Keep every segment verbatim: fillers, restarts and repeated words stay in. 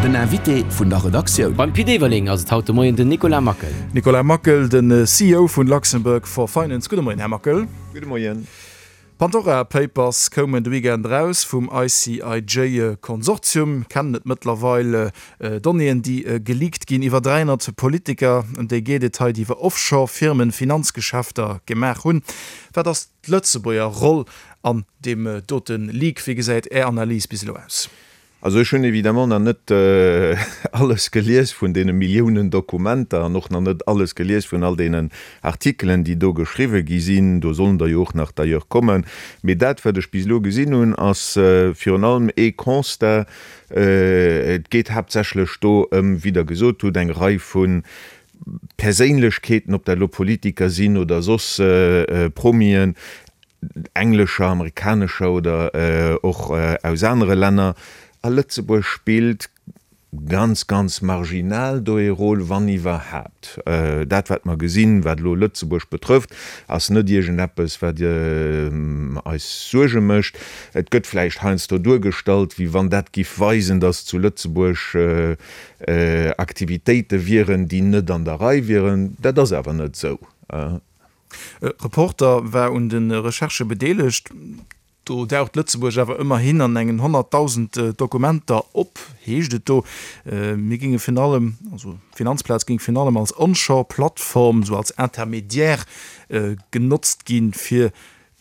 Den Invité vun der Redaktioun. Beim Pit Everling ass et haut de Moien den Nicolas Mackel. Nicolas Mackel, den C E O vun Luxembourg for Finance. Gudde Moien, Här Mackel. Gudde Moien. Pandora Papers koumen de Weekend eraus vum I C I J Konsortium. Kennen et mëttlerweil Donnéeën, déi geleakt ginn iwwer dräihonnert Politiker, ëm déi geet et hei, déi iwwer Offshore-Firmen Finanzgeschäfter gemaach hunn. Wat ass d'Lëtzebuerger Roll an deem dote Leak? Wéi gesäit Är Analys bis elo aus? Also ech hunn évidemment nach net alles gelies vun deene Milliounen Dokumenter an och nach net alles gelies vun all deenen Artikelen, déi do geschriwwe gi sinn. Do sollen der jo och nach d'ailleurs kommen. Mee dat, wat ech bis elo gesinn hunn, ass virun allem ee Constat. Et geet haaptsächlech do ëm, wéi Der gesot hutt, eng Rei vu Perséinlechkeeten, ob dat elo Politiker sinn oder soss Promien, englescher, amerikanescher oder och aus anere Länner. A Lëtzebuerg spillt ganz, ganz marginal do ee Rôle, wann iwwerhaapt. Dat, wat mer gesinn, wat elo Lëtzebuerg betrëfft, ass net iergendeppes, wat eis Suerge mécht. Et gëtt vläicht heiansdo duergestallt, wéi wann dat giff weisen, dass zu Lëtzebuerg Aktivitéite wieren, déi net an der Rei wieren. Dat ass awer net esou. Reporter war un de Recherchë bedeelegt. Do daucht Lëtzebuerg awer ëmmerhin an engen honnertdausend Dokumenter op, heescht et do. Mir ginge virun allem, also d'Finanzplaz géing virun allem als Onshore-Plattform, sou als Intermédiaire genotzt ginn, fir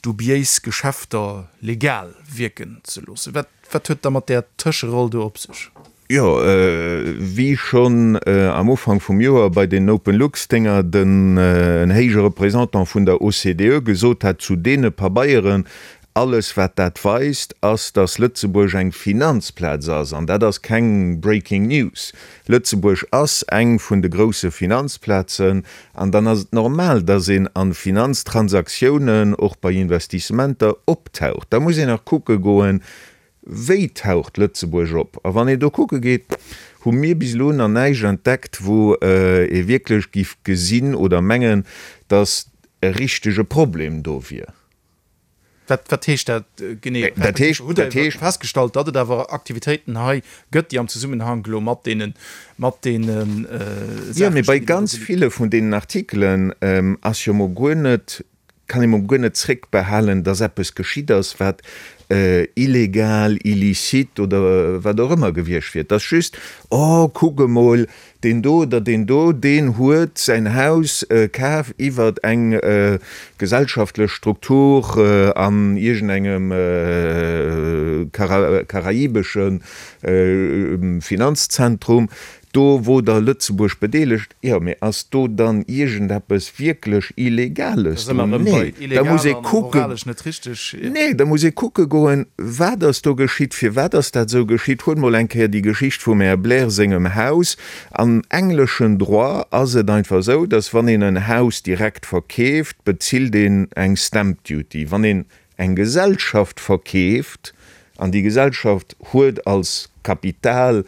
dubiéis Geschäfter legal wierken ze loossen. Wat, wat huet da mat där Tëscheroll do op sech? Jo, wéi schonn am Ufank vum Joer bei den Open Lux-Dénger den en héije Représentant vun der O C D E gesot hat zu deene Pabeieren, alles wat dat weist, ass, dass Lëtzebuerg eng Finanzplaz ass, an dat ass keng Breaking News. Lëtzebuerg ass eng vun de grousse Finanzplazen, an dann ass et normal, dass een an Finanztransaktiounen, och bei Investissementer, optaucht. Da muss een nach kucke goen, wéi taucht Lëtzebuerg op. A wann een do kucke geet, hu mir bis elo nach näischt entdeckt, wou ee wierklech giff gesinn oder mengen, dass e richtege Problem do wier. Wat, wat heescht dat genee? Dat heescht, Hutt Der dat heescht festgestallt, datt et awer Aktivitéiten hei gëtt, déi am Zusammenhang elo mat deenen, mat deenen Ja, mee Saachen bei stinn, déi do ganz geleakt ville vun deenen Artikelen ass jo mol guer net, kann ee mol guer net zréckbehalen, dass eppes geschitt ass, wat illegal, illicite oder wat och ëmmer gewiescht wier. Dat ass just, oh, kuck emol, deen do oder deen do, deen huet säin Haus kaf iwwer eng gesellschaftlech Struktur an iergendengem karaibesche Finanzzentrum, do wor der Lëtzebuerg bedeelegt. Jo, mee ass do dann iergendeppes wierklech Illegales Da si mer dran? erëm bei Nee, da muss illegal ee an kucken. moralesch net richteg. Nee, da muss ee kucke goen, wat ass do geschitt, firwat ass dat esou geschitt. Huel mol eng Kéier déi Geschicht vum Här Blair sengem Haus. Am engleschen Droit ass et einfach esou, dass wann een en Haus direkt verkeeft, bezilt een eng Stamp Duty. Wann een eng Gesellschaft verkeeft, an déi Gesellschaft huet als Kapital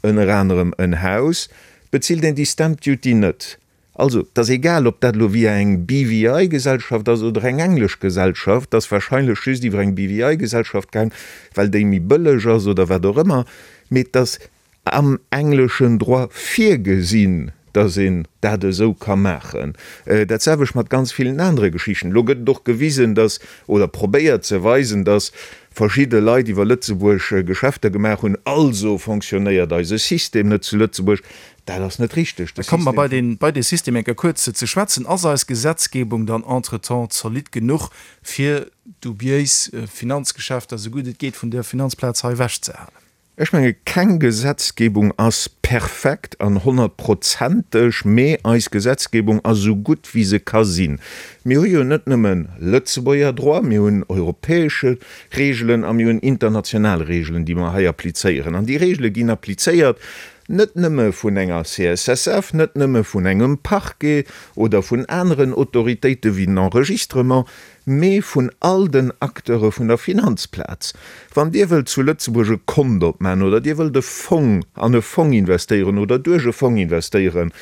ënner anerem en Haus, bezilt een déi Stamp Duty net. Also, et ass egal, ob dat elo via eng B V I-Gesellschaft ass oder eng englesch Gesellschaft, dat ass wahrscheinlech just iwwer eng B V I-Gesellschaft gaang, well déi méi bëlleg ass oder wat och ëmmer, mee et ass am engleschen Droit virgesinn, dass een dat esou ka maachen. Dat selwecht mat ganz villen anere Geschichten. Elo gëtt et och gewisen, dass, oder probéiert ze weisen, dass verschidde Leit iwwer Lëtzebuerg Geschäfter gemaach hunn, also fonctionnéiert eise System net zu Lëtzebuerg. Dat ass net richteg. Da komme mer bei den, bei de System eng Kéier kuerz ze schwätzen. Ass eis Gesetzgebung dann entretemps zolidd genuch, fir dubiéis Finanzgeschäfter, esou gutt et geet, vun der Finanzplaz hei ewechzehalen? Ech menge, keng Gesetzgebung ass perfekt an honnertprozenteg, mee eis Gesetzgebung ass esou gutt, wéi se ka sinn. Mir hu jo net nëmmen Lëtzebuerger Droit, mir hunn europäesche Regeln a mir hunn international Regeln, déi mer hei applizéieren. An déi Regele ginn applizéiert net nëmme vun enger C S S F, net nëmme vun engem Parquet oder vun aneren Autoritéite wéi den Enregistrement, mee vun all den Acteure vun der Finanzplaz. Wann Dir wëllt zu Lëtzebuerg e Kont opmachen oder Dir wëllt e Fong an e Fong investéieren oder duerch e Fong investéieren,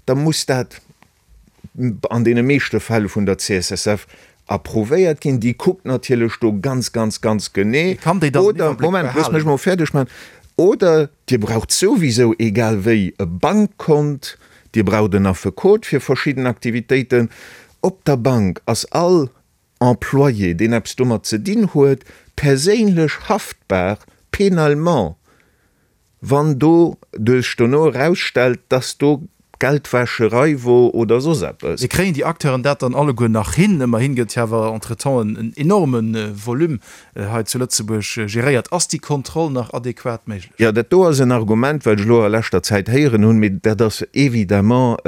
da muss dat an deene meeschte Fäll vun der C S S F approuvéiert ginn. Déi kuckt natierlech do ganz, ganz, ganz genee. Kann déi dann Oder, den Iwwerbléck Moment, looss mech behalen? mol fäerdeg maachen. Oder Dir braucht souwisou egal wéi e Bankkont, Dir braucht en Affekot fir verschidden Aktivitéiten. Op der Bank ass all Employé, deen eppes domat ze dinn huet, perséinlech haftbar, pénalement, wann do sech dono erausstellt, dass do Geldwäscherei wor oder soss eppes. Mee kréien déi Acteuren dat dann alleguer nach hin? Ëmmerhin gëtt jo awer entretemps en enorme Volume hei zu Lëtzebuerg geréiert. Ass déi Kontroll nach adequat méiglech? Jo, dat do ass en Argument, wat ech elo a leschter Zäit héieren hunn, mee dat ass évidemment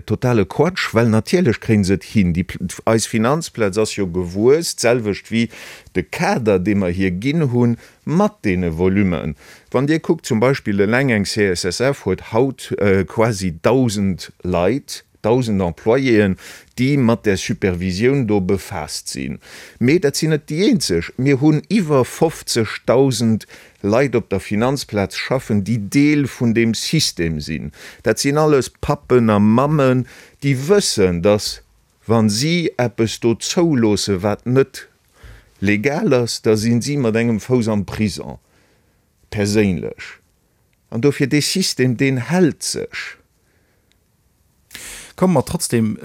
totale Quatsch, well natierlech kréie se et hin. Déi, eis Finanzplaz ass jo gewuess, d'selwecht wéi de Kader, dee mer hir ginn hunn, mat deene Volummen. Wann Dir kuckt, zum Beispill eleng eng C S S F huet haut quasi dausend Leit, dausend Employéen, déi mat där Supervisioun do befaasst sinn. Mee dat sinn net déi eenzeg. Mir hunn iwwer fofzegdausend Leit op der Finanzplaz schaffen, déi Deel vun deem System sinn. Dat sinn alles Pappen a Mammen, déi wëssen, dass, wa si eppes do zouloossen, wat net legal ass, da sinn si mat engem Fouss am Prison, perséinlech. An dofir, dee System, deen hält sech. Komme mer trotzdem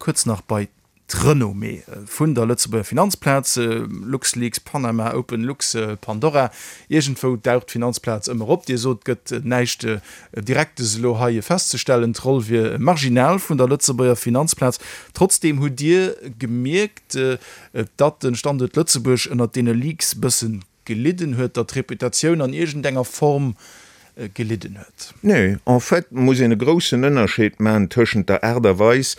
kuerz nach bei d'Renommée vun der Lëtzebuerger Finanzplaz. LuxLeaks, Panama, OpenLux, Pandora, iergendwou daucht d'Finanzplaz ëmmer op. Dir sot, et gëtt näischt Direktes elo hei festzestellen, d'Roll wier marginal vun der Lëtzebuerger Finanzplaz. Trotzdeem hutt Dir gemierkt, datt de Standuert Lëtzebuerg ënnert deene Leaks bëssen gelidden huet, datt d'Reputatioun an iergendenger Form gelidden huet? Nee, en fait muss een e groussen Ënnerscheed maachen tëschent der Aart a Weis,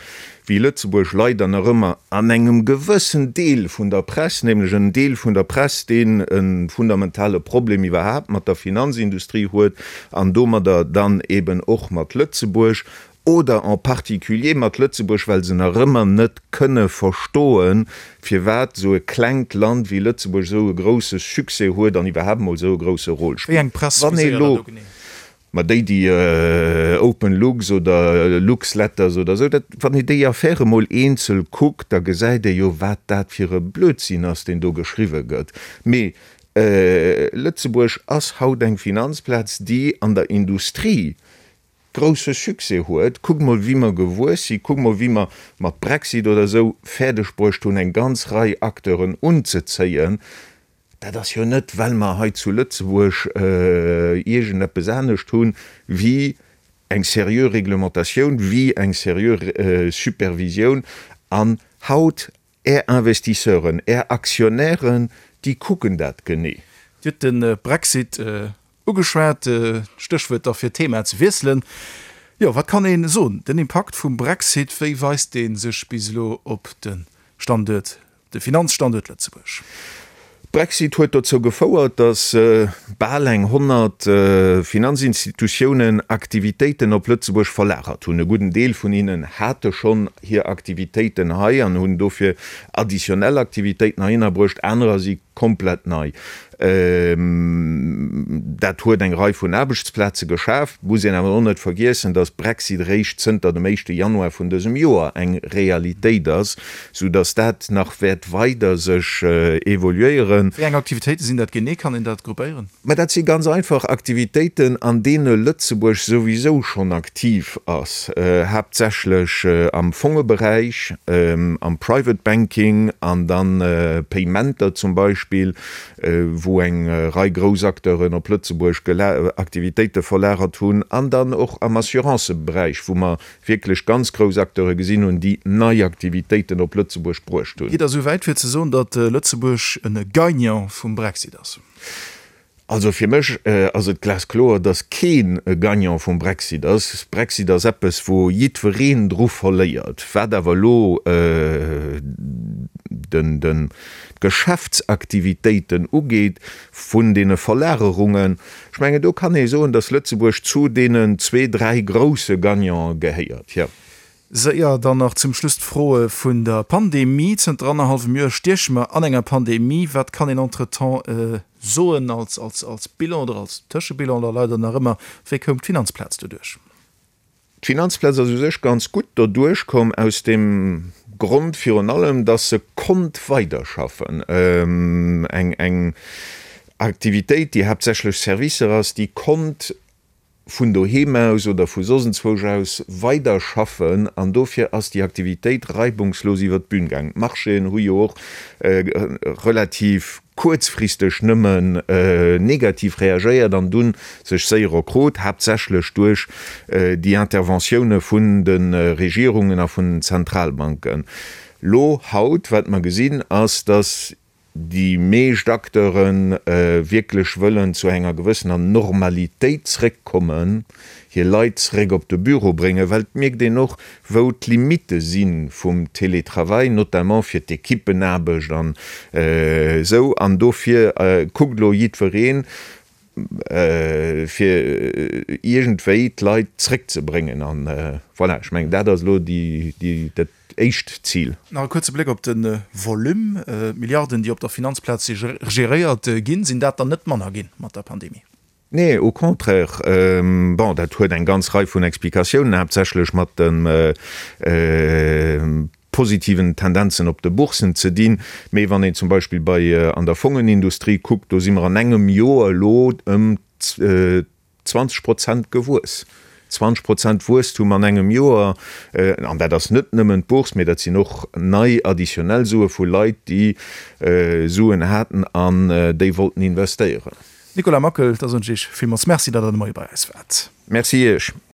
wéi Lëtzebuerg leider nach ëmmer an engem gewëssen Deel vun der Press, nämlech en Deel vun der Press, deen e fundamentale Problem iwwerhaapt mat der Finanzindustrie huet an domadder dann eben och mat Lëtzebuerg, oder en particulier mat Lëtzebuerg, well se nach ëmmer net kënne verstoen, firwat esou e klengt Land wéi Lëtzebuerg esou e grouse Succès huet an iwwerhaapt emol esou e grouse Rôle Wéi eng spillt. Press Wann ee viséiert Der elo, do genee? ma déi, déi OpenLux oder LuxLetters oder esou, dat, wann ee déi Affäre emol eenzel kuckt, da gesäit ee jo, wat dat fir e Blödsinn ass, deen do geschriwwe gëtt. Mee Lëtzebuerg ass haut eng Finanzplaz, déi an der Industrie grousse Succès huet. Kuckt mol, wéi mer gewuess sinn, kuckt mol, wéi mer mat Brexit oder esou fäerdeg bruecht hunn, eng ganz Rei Acteuren unzezéien. Dat ass jo net, well mer hei zu Lëtzebuerg iergendeppes anescht hunn, wéi eng seriö Reglementatioun, wéi eng seriö Supervisioun. An haut Är Investisseuren, Är Aktionären, déi kucken dat genee. Dir hutt de Brexit ugeschwat, Stéchwuert da fir d'Thema ze wiesselen. Jo, wat kann ee soen? Den Impakt vum Brexit, wéi weist dee sech bis elo op de Standuert, de Finanzstanduert Lëtzebuerg? Brexit huet dozou gefouert, datt bal eng honnert Finanzinstitutiounen Aktivitéiten op Lëtzebuerg verlagert hunn. E gudden Deel vun hinnen hate schonn hir Aktivitéiten hei an hunn dofir additionnel Aktivitéiten heihinner bruecht, anerer si komplett nei. Dat huet eng Rei vun Aarbechtsplaze geschaf. Et muss een awer och net vergiessen, datt Brexit eréischt zënter dem éischte Januar vun dësem Joer eng Realitéit ass, soudatt dat nach wäert weider sech evoluéieren. Wéi eng Aktivitéite sinn dat genee? Kann een dat gruppéieren? Mä dat si ganz einfach Aktivitéiten, an deene Lëtzebuerg souwisou schonn aktiv ass, haaptsächlech am Fongeberäich, am Private Banking an dann Paymenter zum Beispill, wou eng Rei grouss Acteuren op Lëtzebuerg Aktivitéite verlagert hunn, an dann och am Assuranceberäich, wou mer wierklech ganz grouss Acteure gesinn hunn, déi nei Aktivitéiten op Lëtzebuerg bruecht hunn. Geet Der esou wäit fir ze soen, datt Lëtzebuerg e Gagnant vum Brexit ass? Also fir mech ass et glaskloer, datt keen e Gagnant vum Brexit ass. Brexit ass eppes, wou jiddwereen dru verléiert. Wat awer elo den d'Geschäftsaktivitéiten ugeet vun deene Verlagerungen, ech mengen, do kann ee soen, datt Lëtzebuerg zu deenen zwee, dräi grousse Gagnante gehéiert, jo. Séier dann nach zum Schluss d'Froe vun der Pandemie. Zënter annerhallwem Joer stieche mer an enger Pandemie. Wat kann een entretemps soen als, als, als Bilan oder als Tëschebilan oder leider nach ëmmer, wéi koum d'Finanzplaz doduerch? D'Finanzplaz ass u sech ganz gutt doduerch komm, aus deem Grond virun allem, dass se konnt weiderschaffen. Eng, eng Aktivitéit, déi haaptsächlech Servicer ass, déi konnt vun doheem aus oder vu soss enzwousch aus weiderschaffen an dofir ass déi Aktivitéit reibungslos iwwer d'Bün gaangen. D'Marchéen hu jo och relativ kuerzfristeg nëmmen negativ reagéiert an dunn sech séier erkrot, haaptsächlech duerch déi Interventioune vun de Regierungen a vun den Zentralbanken. Lo haut, wat mer gesinn, ass, datt déi meescht Acteure wierklech wëllen zu enger gewëssener Normalitéit zréckkommen, hir Leit zréck op de Büro bréngen, well et mierkt een och, wou d'Limitte si vum Télétravail, notamment fir d'Ekippenaarbecht an esou. An dofir kuckt elo jiddwereen, fir iergendwéi d'Leit zréckzebréngen. An voilà, ech mengen, dat ass elo déi, dat éischt Zil. Nach e kuerze Bléck op de Volume. D'Milliarden, déi op der Finanzplaz geréiert ginn, sinn dat der net manner gi mat der Pandemie? Nee, au contraire. Bon, dat huet eng ganz Rei vun Explikatiounen, haaptsächlech mat dem positiven Tendenzen op de Boursen ze dinn. Mee wann een zum Beispill bei an der Fongenindustrie kuckt, do si mer an engem Joer elo ëm zwanzeg Prozent gewuess. Zwanzeg Prozent Wuesstum an engem Joer, an dat ass net nëmmen d'Bourse, mee dat sinn och nei additionnel Sue vu Leit, déi Suen haten an déi wollten investéieren. Nicolas Mackel, da soen ech Iech villmools Merci, datt Der de Moie bei eis waart. Merci Iech.